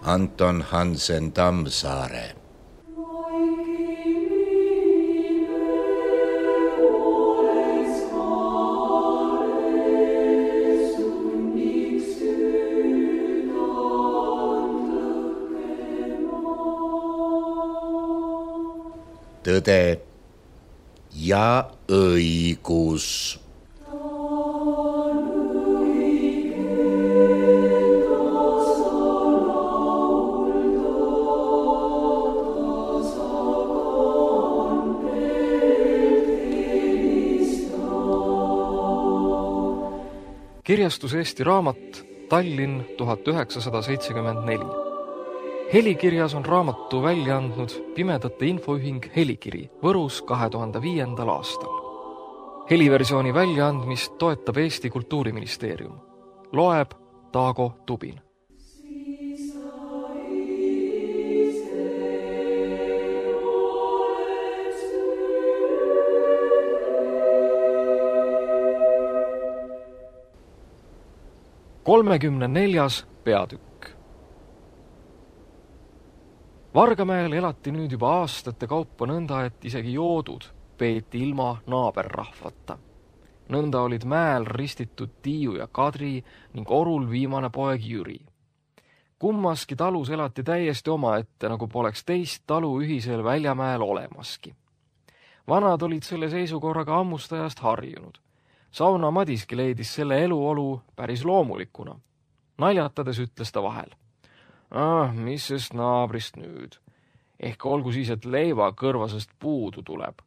Anton Hansen Tammsaare. Tõde ja õigus. Kirjastus Eesti Raamat, Tallinn 1974. Helikirjas on raamatu välja andnud Pimedate Infoühing Helikiri Võrus 2005. aastal. Heliversiooni väljaandmist toetab Eesti Kultuuriministeerium. Loeb Taago Tubin. Kolmekümne 4. peatükk. Vargamäel elati nüüd juba aastate kaupa nõnda, et isegi joodud peeti ilma naaberrahvata. Nõnda olid mäel ristitud Tiiu ja Kadri ning Orul viimane poeg Jüri. Kummaski talus elati täiesti omaette, nagu poleks teist talu ühisel Väljamäel olemaski. Vanad olid selle seisukorraga ammustajast harjunud. Sauna Madiski leidis selle eluolu päris loomulikuna. Naljatades ütles ta vahel. Mis sest naabrist nüüd? Ehk olgu siis, et leiva kõrvasest puudu tuleb.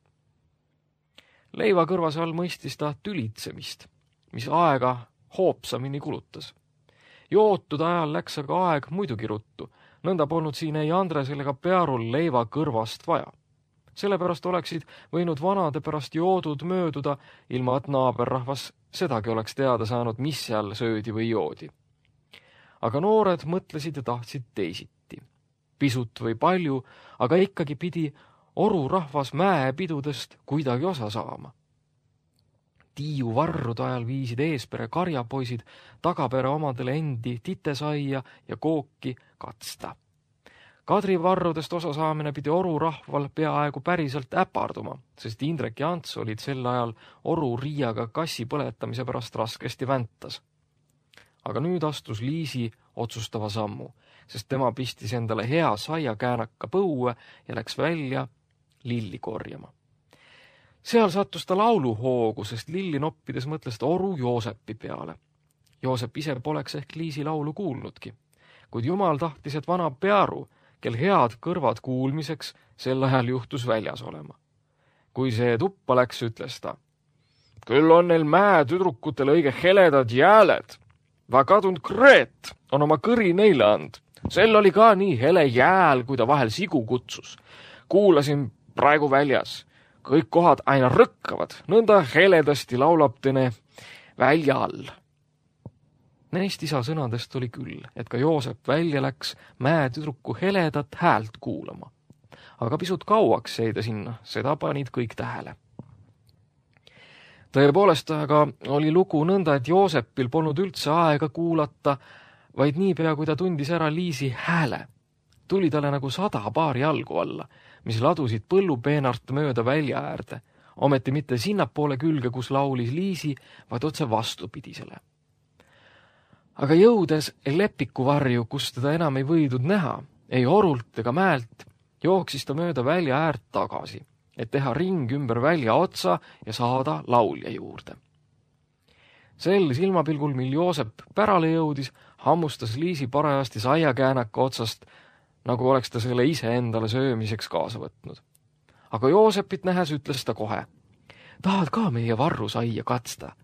Leiva kõrvase all mõistis ta tülitsemist, mis aega hoopsamini kulutas. Jootud ajal läks aga aeg muidugi ruttu, nõnda polnud siin ei Andresel ega Pearul leiva kõrvast vaja. Sellepärast oleksid võinud vanade pärast joodud mööduda, ilma et naaberrahvas sedagi oleks teada saanud, mis seal söödi või joodi. Aga noored mõtlesid ja tahtsid teisiti. Pisut või palju, aga ikkagi pidi Oru rahvas mäepidudest kuidagi osa saama. Tiiu varrude ajal viisid eespere karjapoisid tagapere omadele endi titesaia ja kooki katsta. Kadri varrudest osa saamine pidi Oru rahval peaaegu päriselt äparduma, sest Indrek ja Ants olid sel ajal Oru Riiaga kassi põletamise pärast raskesti väntas. Aga nüüd astus Liisi otsustava sammu, sest tema pistis endale hea saiakäänaka põue ja läks välja lilli korjama. Seal sattus ta lauluhoogu, sest lilli noppides mõtles ta Oru Joosepi peale. Joosep ise poleks ehk Liisi laulu kuulnudki, kuid jumal tahtis, et vana Pearu, kel head kõrvad kuulmiseks, sel ajal juhtus väljas olema. Kui see tuppa läks, ütles ta. Küll on neil mäetüdrukutel õige heledad jääled. Va kadunud Kreet on oma kõri neile and. Sel oli ka nii hele jääl, kui ta vahel sigu kutsus. Kuulasin praegu väljas. Kõik kohad aina rõkkavad. Nõnda heledasti laulab tene välja all. Neist isa sõnadest oli küll, et ka Joosep välja läks mäetüdruku heledat häält kuulama. Aga pisut kauaks jäi ta sinna, seda panid kõik tähele. Tõepoolest aga oli lugu nõnda, et Joosepil polnud üldse aega kuulata, vaid niipea, kui ta tundis ära Liisi hääle. Tuli talle nagu 100 paari jalgu alla, mis ladusid põllupeenart mööda välja äärde, ometi mitte sinnapoole külge, kus laulis Liisi, vaid otse vastupidisele. Aga jõudes Lepiku varju, kus teda enam ei võidud näha, ei Orult ega mäelt, jooksis ta mööda välja äärt tagasi, et teha ring ümber välja otsa ja saada laulja juurde. Sel silmapilgul, mil Joosep pärale jõudis, hammustas Liisi parajasti saiakäänaka otsast, nagu oleks ta selle ise endale söömiseks kaasa võtnud. Aga Joosepit nähes ütles ta kohe, tahad ka meie varru saia katsta,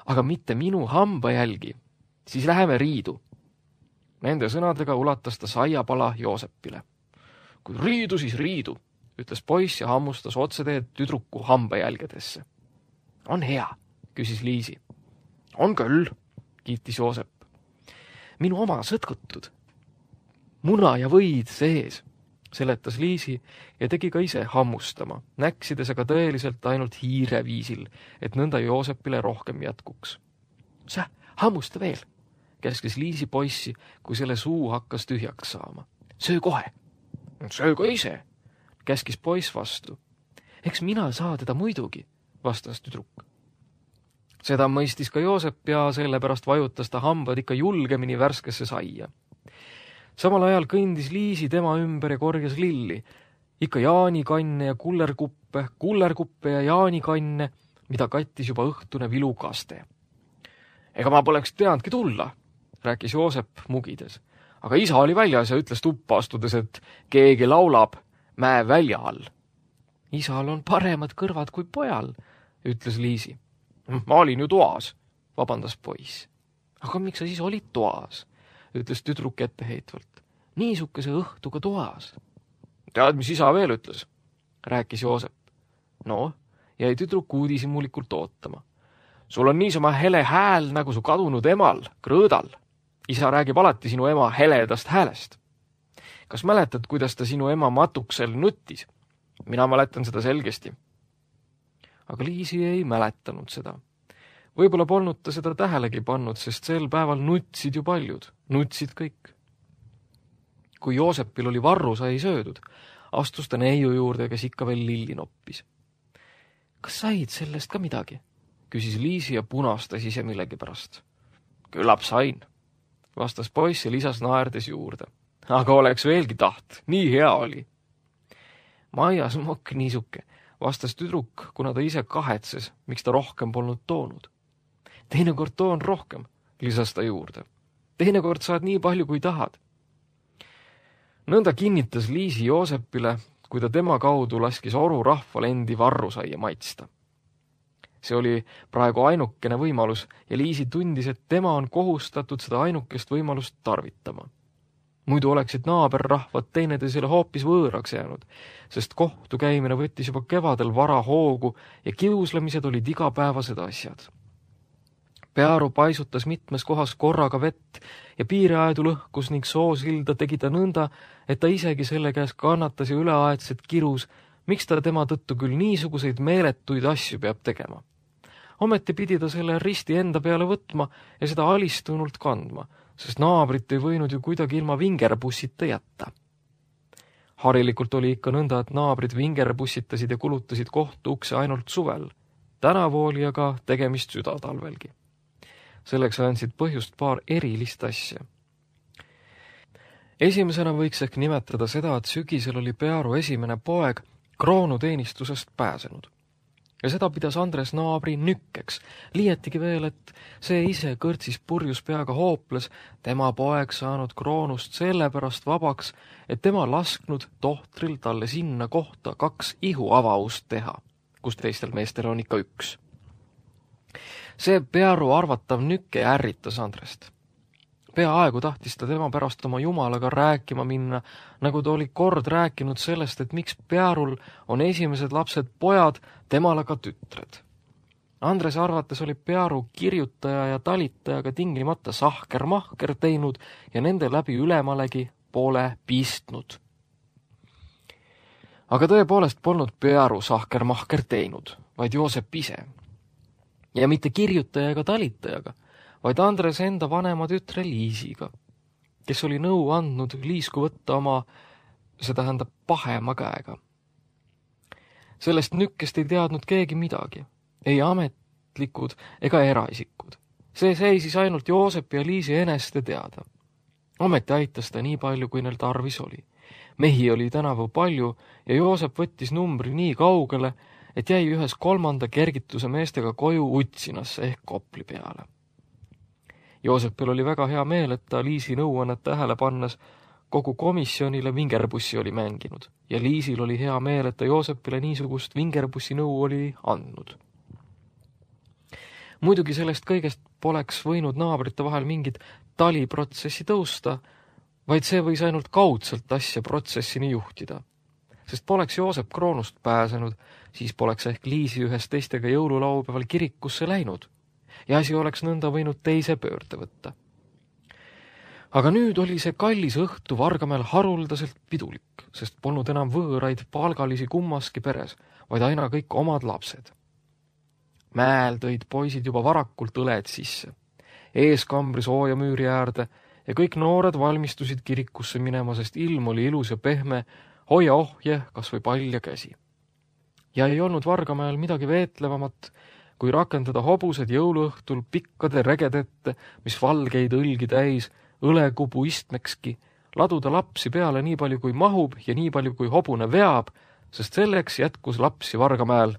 aga mitte minu hamba jälgi, siis läheme riidu. Nende sõnadega ulatas ta saiapala Joosepile. Kui riidu, siis riidu, ütles poiss ja hammustas otseteed tüdruku hambajälgedesse. On hea, küsis Liisi. On küll, kiitis Joosep. Minu oma sõtkutud. Muna ja võid sees, seletas Liisi ja tegi ka ise hammustama, näksides aga tõeliselt ainult hiire viisil, et nõnda Joosepile rohkem jätkuks. Sa hammusta veel, käskis Liisi poissi, kui selle suu hakkas tühjaks saama. Söö kohe. Söö ka ise, käskis poiss vastu. Eks mina saa teda muidugi, vastas tüdruk. Seda mõistis ka Joosep ja sellepärast vajutas ta hambad ikka julgemini värskesse saia. Samal ajal kõndis Liisi tema ümber ja korjas lilli, ikka jaanikanne ja kullerkuppe ja jaanikanne, mida kattis juba õhtune vilukaste. Ega ma poleks teadnudki tulla, rääkis Joosep mugides. Aga isa oli väljas ja ütles tuppa astudes, et keegi laulab mäe välja all. Isal on paremad kõrvad kui pojal, ütles Liisi. Ma olin ju toas, vabandas poiss. Aga miks sa siis olid toas, ütles tüdruk etteheitvalt. Niisukese õhtuga toas. Tead, mis isa veel ütles, rääkis Joosep. No, jäi tüdruk uudishimulikult ootama. Sul on niisama hele hääl nagu su kadunud emal, Krõõdal. Isa räägib alati sinu ema heledast häälest. Kas mäletad, kuidas ta sinu ema matuksel nuttis? Mina mäletan seda selgesti. Aga Liisi ei mäletanud seda. Võib-olla polnud ta seda tähelegi pannud, sest sel päeval nutsid ju paljud. Nutsid kõik. Kui Joosepil oli varrusai söödud, astus ta neiu juurde, kes ikka veel lilli noppis. Kas said sellest ka midagi? Küsis Liisi ja punastas ise millegi pärast. Küllap sain, vastas poiss ja lisas naerdes juurde. Aga oleks veelgi taht, nii hea oli. Maia smokk niisuke, vastas tüdruk, kuna ta ise kahetses, miks ta rohkem polnud toonud. Teinekord toon rohkem, lisas ta juurde. Teinekord saad nii palju, kui tahad. Nõnda kinnitas Liisi Joosepile, kui ta tema kaudu laskis Oru rahval endi varrusaia maitsta. See oli praegu ainukene võimalus ja Liisi tundis, et tema on kohustatud seda ainukest võimalust tarvitama. Muidu oleksid naaberrahvad teineteisele hoopis võõraks jäänud, sest kohtu käimine võttis juba kevadel vara hoogu ja kiuslemised olid igapäevased asjad. Pearu paisutas mitmes kohas korraga vett ja piiriaedu lõhkus ning soosilda tegi ta nõnda, et ta isegi selle käes kannatas ja üleaedselt kirus, miks ta tema tõttu küll niisuguseid meeletuid asju peab tegema. Ometi pidi ta selle risti enda peale võtma ja seda alistunult kandma, sest naabrit ei võinud ju kuidagi ilma vingerbussita jätta. Harilikult oli ikka nõnda, et naabrid vingerbussitasid ja kulutasid kohtu ukse ainult suvel. Tänavu oli aga tegemist südatalvelgi. Selleks andsid põhjust paar erilist asja. Esimesena võiks ehk nimetada seda, et sügisel oli Pearu esimene poeg kroonuteenistusest pääsenud. Ja seda pidas Andres naabri nükkeks, liietigi veel, et see ise kõrtsis purjus peaga hooples, tema poeg saanud kroonust sellepärast vabaks, et tema lasknud tohtril talle sinna kohta 2 ihuavaust teha, kus teistel meestel on ikka 1. See Pearu arvatav nükke ärritas Andrest. Peaaegu tahtis ta tema pärast oma jumalaga rääkima minna, nagu ta oli kord rääkinud sellest, et miks Pearul on esimesed lapsed pojad, temal aga tütred. Andrese arvates oli Pearu kirjutaja ja talitajaga tingimata sahker-mahker teinud ja nende läbi ülemalegi pole pistnud. Aga tõepoolest polnud Pearu sahker-mahker teinud, vaid Joosep ise. Ja mitte kirjutaja ega talitajaga, vaid Andres enda vanema tütre Liisiga, kes oli nõu andnud Liisku võtta oma, see tähendab pahema käega. Sellest nükkest ei teadnud keegi midagi, ei ametlikud ega eraisikud. See seisis ainult Joosep ja Liisi eneste teada. Ometi aitas ta nii palju, kui neil tarvis oli. Mehi oli tänavu palju ja Joosep võttis numbri nii kaugele, et jäi 1/3 kergituse meestega koju Utsinasse ehk Kopli peale. Joosepil oli väga hea meel, et ta Liisi nõuannet tähele pannes kogu komisjonile vingerbussi oli mänginud ja Liisil oli hea meel, et ta Joosepile niisugust vingerbussi nõu oli andnud. Muidugi sellest kõigest poleks võinud naabrite vahel mingit taliprotsessi tõusta, vaid see võis ainult kaudselt asja protsessini juhtida. Sest poleks Joosep kroonust pääsenud, siis poleks ehk Liisi ühes teistega jõululaupäeval kirikusse läinud ja asi oleks nõnda võinud teise pöörde võtta. Aga nüüd oli see kallis õhtu Vargamäel haruldaselt pidulik, sest polnud enam võõraid palgalisi kummaski peres, vaid aina kõik omad lapsed. Mäel tõid poisid juba varakult õled sisse eeskambri sooja müüri äärde ja kõik noored valmistusid kirikusse minema, sest ilm oli ilus ja pehme, hoia ohje kas või palja käsi. Ja ei olnud Vargamäel midagi veetlevamat, kui rakendada hobused jõuluõhtul pikkade regedette, mis valgeid õlgi täis, õlekubu istmekski, laduda lapsi peale nii palju kui mahub ja nii palju kui hobune veab, sest selleks jätkus lapsi Vargamäel,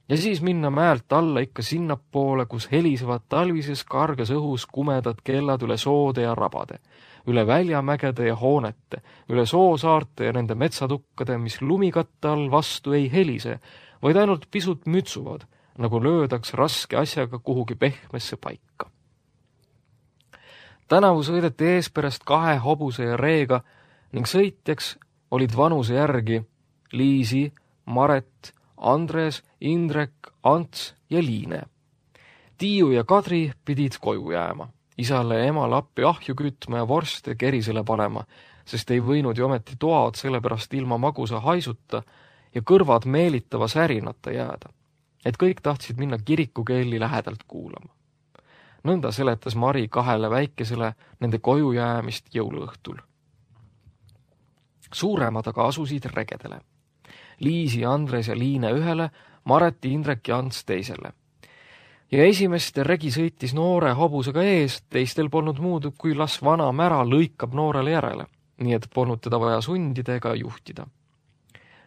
ja siis minna mäelt alla ikka sinnapoole, kus helisevad talvises karges õhus kumedad kellad üle soode ja rabade, üle väljamägede ja hoonete, üle soosaarte ja nende metsatukkade, mis lumikatte all vastu ei helise, vaid ainult pisut mütsuvad, nagu löödaks raske asjaga kuhugi pehmesse paika. Tänavu sõideti eesperest 2 hobuse ja reega ning sõitjaks olid vanuse järgi Liisi, Maret, Andres, Indrek, Ants ja Liine. Tiiu ja Kadri pidid koju jääma, isale ja emale appi ahju kütma ja vorste kerisele panema, sest ei võinud ju ometi toad sellepärast ilma magusa haisuta ja kõrvad meelitava särinata jääda, et kõik tahtsid minna kirikukeeli lähedalt kuulama. Nõnda seletas Mari 2 väikesele nende koju jäämist jõuluõhtul. Suuremad aga asusid regedele. Liisi, Andres ja Liine ühele, Maret, Indrek ja Ants teisele. Ja esimeste regi sõitis noore hobusega ees, teistel polnud muud, kui las vana mära lõikab noorele järele, nii et polnud teda vaja sundida ega juhtida.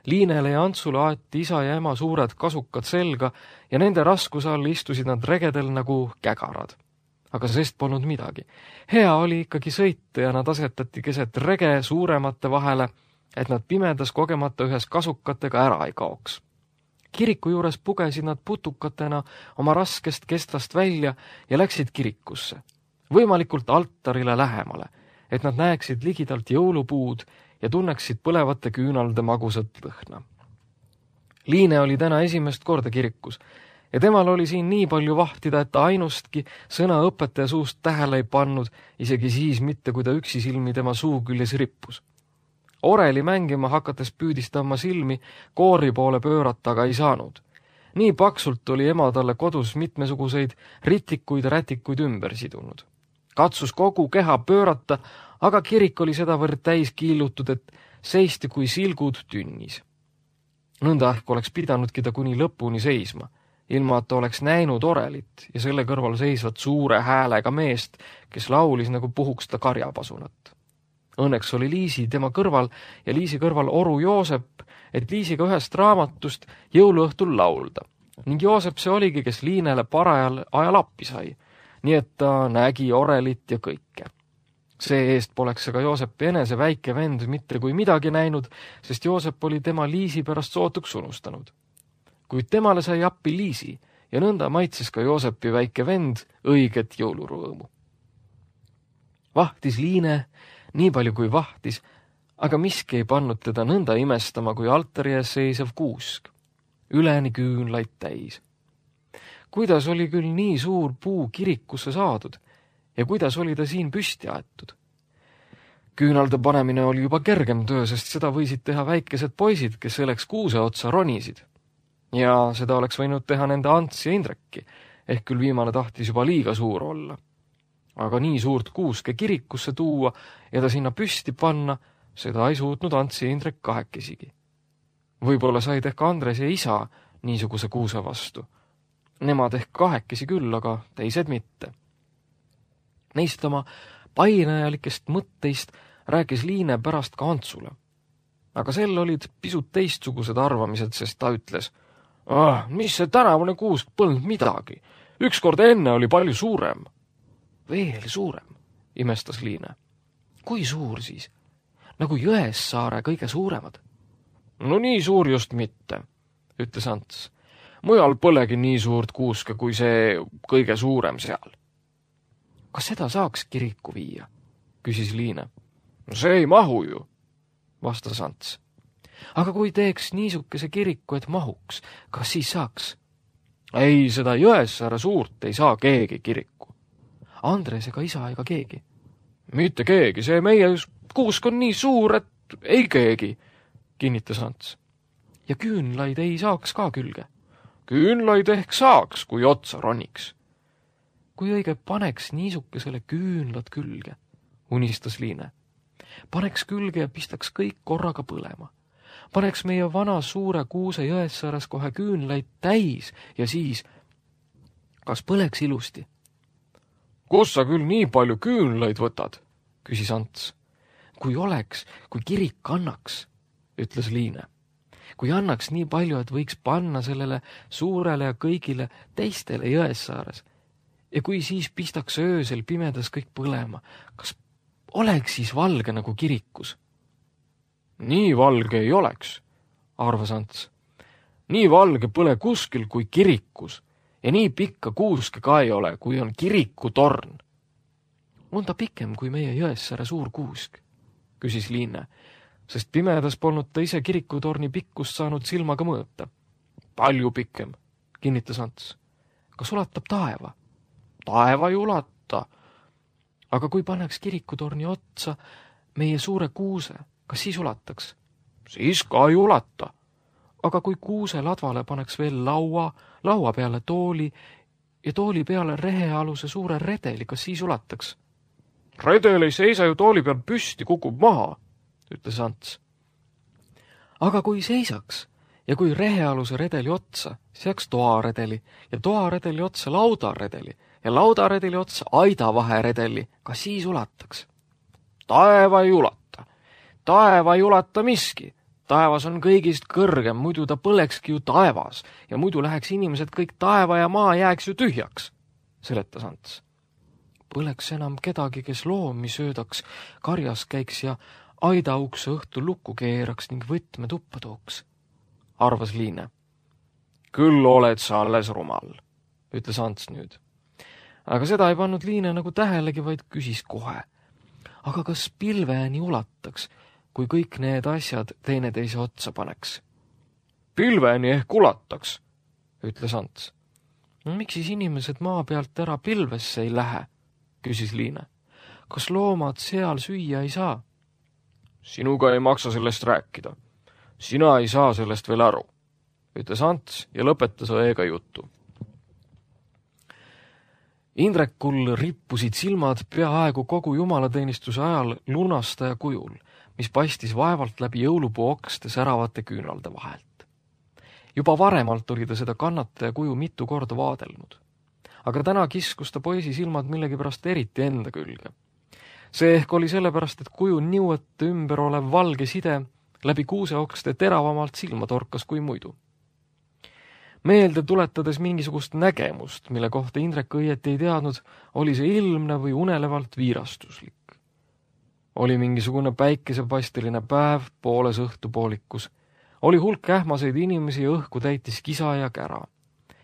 Liinele ja Antsule aeti isa ja ema suured kasukad selga ja nende raskuse all istusid nad regedel nagu kägarad. Aga sest polnud midagi. Hea oli ikkagi sõita ja nad asetati keset rege suuremate vahele, et nad pimedas kogemata ühes kasukatega ära ei kaoks. Kiriku juures pugesid nad putukatena oma raskest kestast välja ja läksid kirikusse, võimalikult altarile lähemale, et nad näeksid ligidalt jõulupuud ja tunneksid põlevate küünalde magusat lõhna. Liine oli täna esimest korda kirikus ja temal oli siin nii palju vahtida, et ta ainustki sõna õpetaja suust tähele ei pannud, isegi siis mitte, kui ta üksi silmi tema suu küljes rippus. Oreli mängima hakates püüdis ta oma silmi koori poole pöörata, aga ei saanud. Nii paksult oli ema talle kodus mitmesuguseid ritikuid ja rätikuid ümber sidunud. Katsus kogu keha pöörata, aga kirik oli sedavõrd täis kiillutud, et seisti kui silgud tünnis. Nõnda ehk oleks pidanudki ta kuni lõpuni seisma, ilma et ta oleks näinud orelit ja selle kõrval seisvat suure häälega meest, kes laulis nagu puhuks ta karjapasunat. Õnneks oli Liisi tema kõrval ja Liisi kõrval oru Joosep, et Liisiga ühest raamatust jõuluõhtul laulda. Ning Joosep see oligi, kes Liinele parajal ajal appi sai, nii et ta nägi orelit ja kõike. See eest poleks aga Joosepi enese väike vend mitte kui midagi näinud, sest Joosep oli tema Liisi pärast sootuks unustanud. Kuid temale sai appi Liisi ja nõnda maitses ka Joosepi väike vend õiget jõulurõõmu. Vahtis Liine nii palju kui vahtis, aga miski ei pannud teda nõnda imestama kui altari ees seisev kuusk, üleni küünlaid täis. Kuidas oli küll nii suur puu kirikusse saadud ja kuidas oli ta siin püsti aetud? Küünalde panemine oli juba kergem töö, sest seda võisid teha väikesed poisid, kes selleks kuuse otsa ronisid. Ja seda oleks võinud teha nende Ants ja Indrekki, ehk küll viimane tahtis juba liiga suur olla. Aga nii suurt kuuske kirikusse tuua ja ta sinna püsti panna, seda ei suutnud Ants ja Indrek kahekesigi. Võib-olla said ehk Andres ja isa niisuguse kuuse vastu. Nemad ehk kahekesi küll, aga teised mitte. Neist oma painajalikest mõtteist rääkis Liine pärast ka Antsule. Aga sel olid pisut teistsugused arvamised, sest ta ütles, mis see tänavune kuusk polnud midagi. Ükskord enne oli palju suurem. Veel suurem, imestas Liine. Kui suur siis? Nagu Jõessaare kõige suuremad. No nii suur just mitte, ütles Ants. Mujal polegi nii suurt kuuske kui see kõige suurem seal. Kas seda saaks kiriku viia? Küsis Liine. No see ei mahu ju, vastas Ants. Aga kui teeks niisukese kiriku, et mahuks, kas siis saaks? Ei, seda Jõessaare suurt ei saa keegi kiriku. Andres ega isa ega keegi. Mitte keegi, see meie kuusk on nii suur, et ei keegi, kinnitas Ants. Ja küünlaid ei saaks ka külge. Küünlaid ehk saaks, kui otsa roniks. kui õige paneks niisukesele küünlad külge, unistas Liine. Paneks külge ja pistaks kõik korraga põlema. Paneks meie vana suure Kuuse Jõessaares kohe küünlaid täis ja siis, kas põleks ilusti? Kus sa küll nii palju küünlaid võtad? Küsis Ants. Kui oleks, kui kirik annaks, ütles Liine. Kui annaks nii palju, et võiks panna sellele suurele ja kõigile teistele Jõessaares. Ja kui siis pistaks öösel pimedas kõik põlema, kas oleks siis valge nagu kirikus? Nii valge ei oleks, arvas Ants. Nii valge pole kuskil kui kirikus ja nii pikka kuuske ka ei ole, kui on kirikutorn. On ta pikem kui meie Jõessaare suur kuusk, küsis Liine, sest pimedas polnud ta ise kirikutorni pikkust saanud silmaga mõõta. Palju pikem, kinnitas Ants. Kas ulatab taeva? Taeva ei ulata. Aga kui pannaks kirikutorni otsa meie suure kuuse, kas siis ulataks? Siis ka ei ulata. Aga kui kuuse ladvale paneks veel laua peale tooli ja tooli peale rehealuse suure redeli, kas siis ulataks? Redel ei seisa ju tooli peal püsti, kukub maha, ütles Ants. Aga kui seisaks ja kui rehealuse redeli otsa seaks toaredeli ja toaredeli otsa laudaredeli ja laudaredeli otsa aidavaheredeli, kas siis ulataks? Taeva ei ulata. Taeva ei ulata miski. Taevas on kõigist kõrgem, muidu ta põlekski ju taevas ja muidu läheks inimesed kõik taeva ja maa jääks ju tühjaks, seletas Ants. Põleks enam kedagi, kes loomi söödaks, karjas käiks ja aidaukse õhtul lukku keeraks ning võtme tuppa tooks, arvas Liine. Küll oled sa alles rumal, ütles Ants nüüd. Aga seda ei pannud Liine nagu tähelegi, vaid küsis kohe. Aga kas pilveni ulataks, kui kõik need asjad teineteise otsa paneks? Pilveni ehk ulataks, ütles Ants. No, miks siis inimesed maa pealt ära pilvesse ei lähe, küsis Liine. Kas loomad seal süüa ei saa? Sinuga ei maksa sellest rääkida. Sina ei saa sellest veel aru, ütles Ants ja lõpetas õega juttu. Indrekul rippusid silmad peaaegu kogu jumalateenistuse ajal lunastaja kujul, mis paistis vaevalt läbi jõulupuu okste säravate küünalde vahelt. Juba varemalt oli ta seda kannataja kuju mitu korda vaadelnud. Aga täna kiskus ta poisi silmad millegipärast eriti enda külge. See ehk oli sellepärast, et kuju niuete ümber olev valge side läbi kuuseokste teravamalt silma torkas kui muidu. Meelde tuletades mingisugust nägemust, mille kohta Indrek õieti ei teadnud, oli see ilmne või unelevalt viirastuslik. Oli mingisugune päikesepaisteline päev pooles õhtupoolikus. Oli hulk ähmaseid inimesi ja õhku täitis kisa ja kära.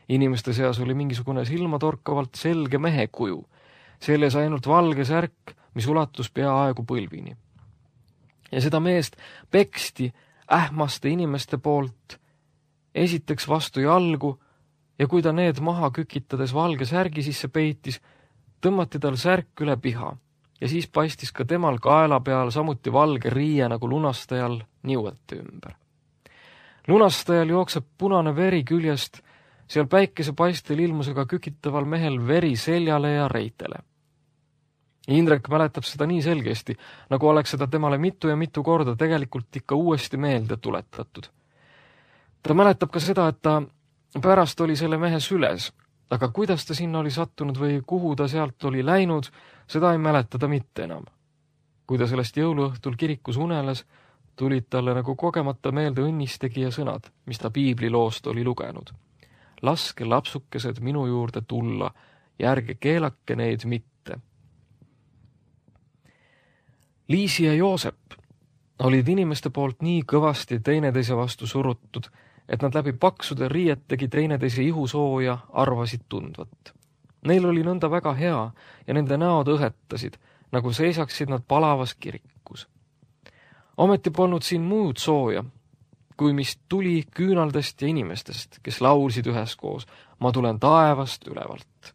Inimeste seas oli mingisugune silmatorkavalt selge mehe kuju. Selles ainult valge särk, mis ulatus peaaegu põlvini. Ja seda meest peksti ähmaste inimeste poolt esiteks vastu jalgu ja kui ta need maha kükitades valge särgi sisse peitis, tõmmati tal särk üle piha ja siis paistis ka temal kaela peal samuti valge riie nagu lunastajal niuete ümber. Lunastajal jookseb punane veri küljest, seal päikesepaistel ilmusega kükitaval mehel veri seljale ja reitele. Indrek mäletab seda nii selgesti, nagu oleks seda temale mitu ja mitu korda tegelikult ikka uuesti meelde tuletatud. Ta mäletab ka seda, et ta pärast oli selle mehe süles, aga kuidas ta sinna oli sattunud või kuhu ta sealt oli läinud, seda ei mäleta ta mitte enam. Kui ta sellest jõuluõhtul kirikus uneles, tulid talle nagu kogemata meelde õnnistegija sõnad, mis ta piibliloost oli lugenud. Laske lapsukesed minu juurde tulla ja ärge keelake neid mitte. Liisi ja Joosep olid inimeste poolt nii kõvasti teineteise vastu surutud, et nad läbi paksude riietegi teineteise ihusooja arvasid tundvat. Neil oli nõnda väga hea ja nende näod õhetasid, nagu seisaksid nad palavas kirikus. Ometi polnud siin muud sooja, kui mis tuli küünaldest ja inimestest, kes laulsid üheskoos, ma tulen taevast ülevalt.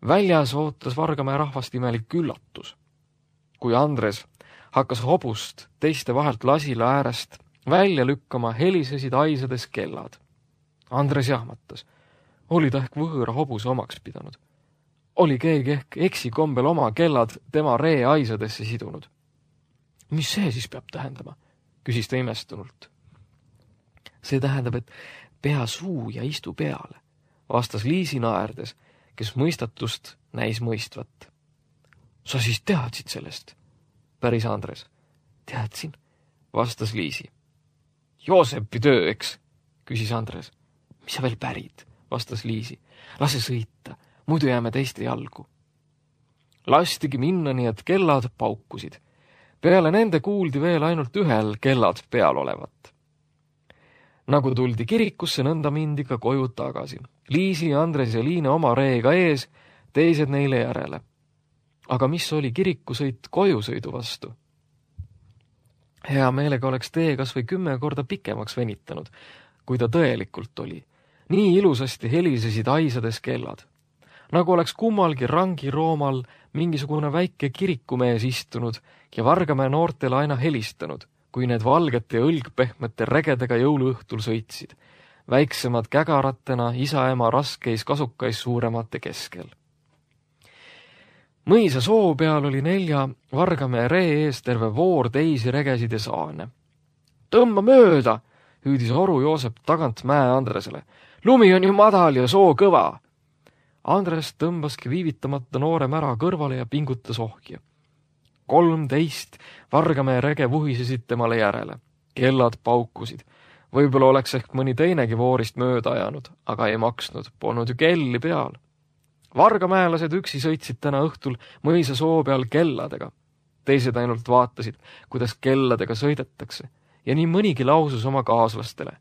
Väljas ootas Vargamäe rahvast imelik üllatus. Kui Andres hakkas hobust teiste vahelt lasila äärest välja lükkama, helisesid aisades kellad. Andres jahmatas. Oli ta ehk võõra hobuse omaks pidanud. oli keegi ehk eksikombel oma kellad tema ree aisadesse sidunud. Mis see siis peab tähendama? Küsis ta imestunult. See tähendab, et pea suu ja istu peale, vastas Liisi naerdes, kes mõistatust näis mõistvat. Sa siis teadsid sellest? Päris Andres. Teadsin, vastas Liisi. Joosepi töö, eks? Küsis Andres. Mis sa veel pärid? Vastas Liisi. Lase sõita, muidu jääme teiste jalgu. Lastigi minna, nii et kellad paukusid. Peale nende kuuldi veel ainult ühel kellad peal olevat. Nagu tuldi kirikusse, nõnda mindi ka koju tagasi. Liisi, Andres ja Liine oma reega ees, teised neile järele. Aga mis oli kirikusõit kojusõidu vastu? Hea meelega oleks tee kas või 10 korda pikemaks venitanud, kui ta tõelikult oli. Nii ilusasti helisesid aisades kellad. Nagu oleks kummalgi rangiroomal mingisugune väike kirikumees istunud ja Vargamäe noortele aina helistanud, kui need valgete ja õlgpehmete regedega jõuluõhtul sõitsid, väiksemad kägaratena isa-ema raskeis kasukais suuremate keskel. Mõisa soo peal oli 4 Vargamäe ree ees terve voor teisi regesid ja saane. Tõmba mööda, hüüdis Oru Joosep tagant Mäe Andresele. Lumi on ju madal ja soo kõva. Andres tõmbaski viivitamata noore mära kõrvale ja pingutas ohja. 13 Vargamäe rege vuhisesid temale järele. Kellad paukusid. Võib-olla oleks ehk mõni teinegi voorist mööda ajanud, aga ei maksnud, polnud ju kelli peal. Vargamäelased üksi sõitsid täna õhtul mõisa soo peal kelladega. Teised ainult vaatasid, kuidas kelladega sõidetakse ja nii mõnigi lausus oma kaaslastele.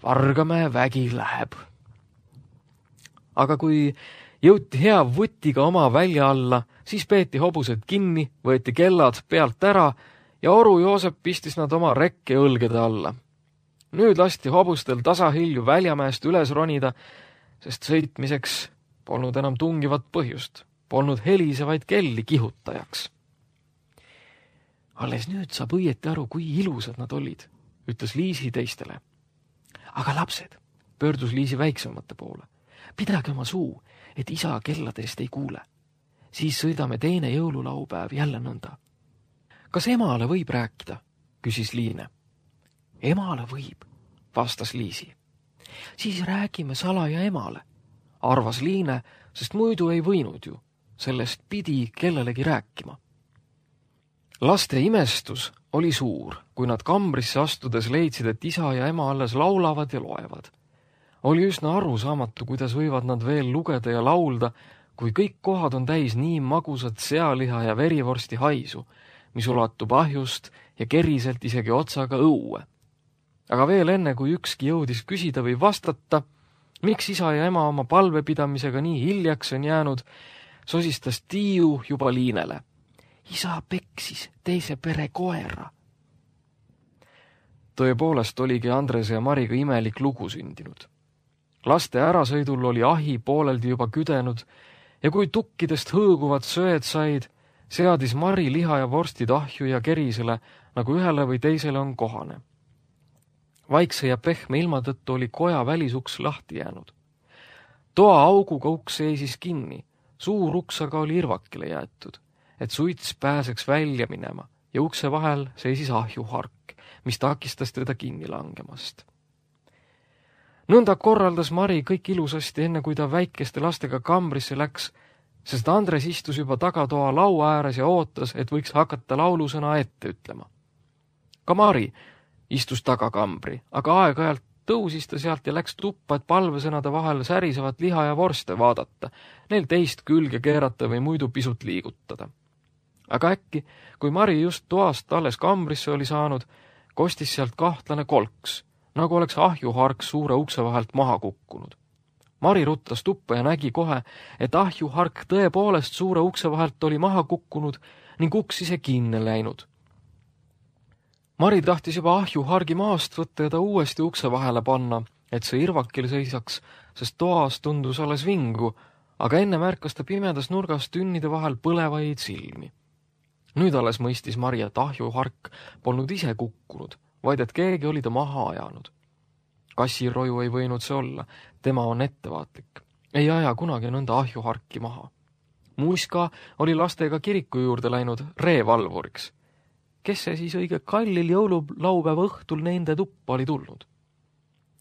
Vargamäe vägi läheb. Aga kui jõuti hea vutiga oma välja alla, siis peeti hobused kinni, võeti kellad pealt ära ja Oru Joosep pistis nad oma rekke õlgede alla. Nüüd lasti hobustel tasahilju Väljamäest üles ronida, sest sõitmiseks polnud enam tungivat põhjust, polnud helisevaid kelli kihutajaks. Alles nüüd saab õieti aru, kui ilusad nad olid, ütles Liisi teistele. Aga lapsed, pöördus Liisi väiksemate poole. Pidage oma suu, et isa kelladest ei kuule. Siis sõidame teine jõululaupäev jälle nõnda. Kas emale võib rääkida? Küsis Liine. Emale võib, vastas Liisi. Siis räägime salaja emale, arvas Liine, sest muidu ei võinud ju. Sellest pidi kellelegi rääkima. Laste imestus oli suur, kui nad kambrisse astudes leidsid, et isa ja ema alles laulavad ja loevad. Oli üsna arusaamatu, kuidas võivad nad veel lugeda ja laulda, kui kõik kohad on täis nii magusat sealiha ja verivorsti haisu, mis ulatub ahjust ja keriselt isegi otsaga õue. Aga veel enne, kui ükski jõudis küsida või vastata, miks isa ja ema oma palvepidamisega nii hiljaks on jäänud, sosistas Tiiu juba Liinele. Isa peksis teise pere koera. Tõepoolest oligi Andrese ja Mariga imelik lugu sündinud. Laste ärasõidul oli ahi pooleldi juba küdenud ja kui tukkidest hõõguvad söed said, seadis Mari liha ja vorstid ahju ja kerisele, nagu ühele või teisele on kohane. Vaikse ja pehme ilma tõttu oli koja välisuks lahti jäänud. Toa auguga uks seisis kinni, suur uks aga oli irvakile jäetud, et suits pääseks välja minema ja ukse vahel seisis ahjuhark, mis takistas teda kinni langemast. Nõnda korraldas Mari kõik ilusasti enne, kui ta väikeste lastega kambrisse läks, sest Andres istus juba tagatoa laua ääres ja ootas, et võiks hakata laulusõna ette ütlema. Ka Mari istus tagakambri, aga aeg-ajalt tõusis ta sealt ja läks tuppa, et palvesõnade vahel särisevat liha ja vorste vaadata, neil teist külge keerata või muidu pisut liigutada. Aga äkki, kui Mari just toast alles kambrisse oli saanud, kostis sealt kahtlane kolks, nagu oleks ahjuhark suure ukse vahelt maha kukkunud. Mari ruttas tuppa ja nägi kohe, et ahjuhark tõepoolest suure ukse vahelt oli maha kukkunud ning uks ise kinni läinud. Mari tahtis juba ahjuhargi maast võtta ja ta uuesti ukse vahele panna, et see irvakil seisaks, sest toas tundus alles vingu, aga enne märkas ta pimedas nurgas tünnide vahel põlevaid silmi. Nüüd alles mõistis Mari, et ahjuhark polnud ise kukkunud, vaid et keegi oli ta maha ajanud. Kassiroju ei võinud see olla, tema on ettevaatlik. Ei aja kunagi nõnda ahjuharki maha. Muska oli lastega kiriku juurde läinud reevalvuriks. Kes see siis õige kallil jõululaupäeva õhtul nende tuppa oli tulnud?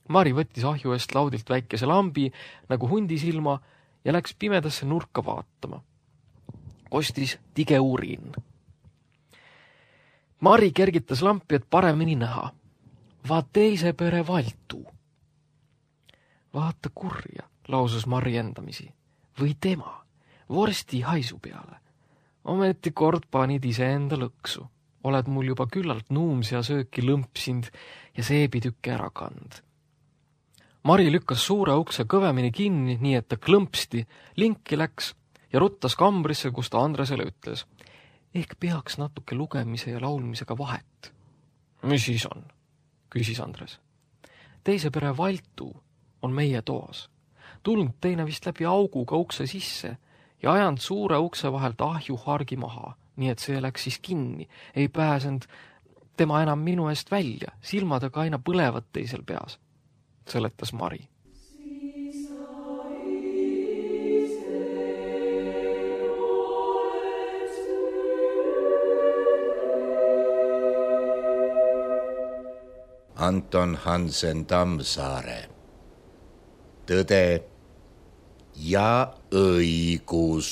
Mari võttis ahju eest laudilt väikese lambi nagu hundisilma ja läks pimedasse nurka vaatama. Kostis tige urin. Mari kergitas lampi, et paremini näha. Va teise pere valtu. Vaata kurja, lausus Mari endamisi. Või tema, vorsti haisu peale. Ometi kord panid iseenda lõksu. Oled mul juba küllalt nuumsia sööki lõmpsind ja seebitükke ära kand. Mari lükkas suure ukse kõvemini kinni, nii et ta klõmpsti, linki läks ja ruttas kambrisse, kus ta Andresele ütles. Ehk peaks natuke lugemise ja laulmisega vahet. Mis siis on? Küsis Andres. Teise pere Valtu on meie toas. Tulnud teine vist läbi auguga ukse sisse ja ajanud suure ukse vahelt ahju hargi maha, nii et see läks siis kinni. Ei pääsenud tema enam minu eest välja, silmadega aina põlevad teisel peas, seletas Mari. Anton Hansen Tammsaare. Tõde ja õigus.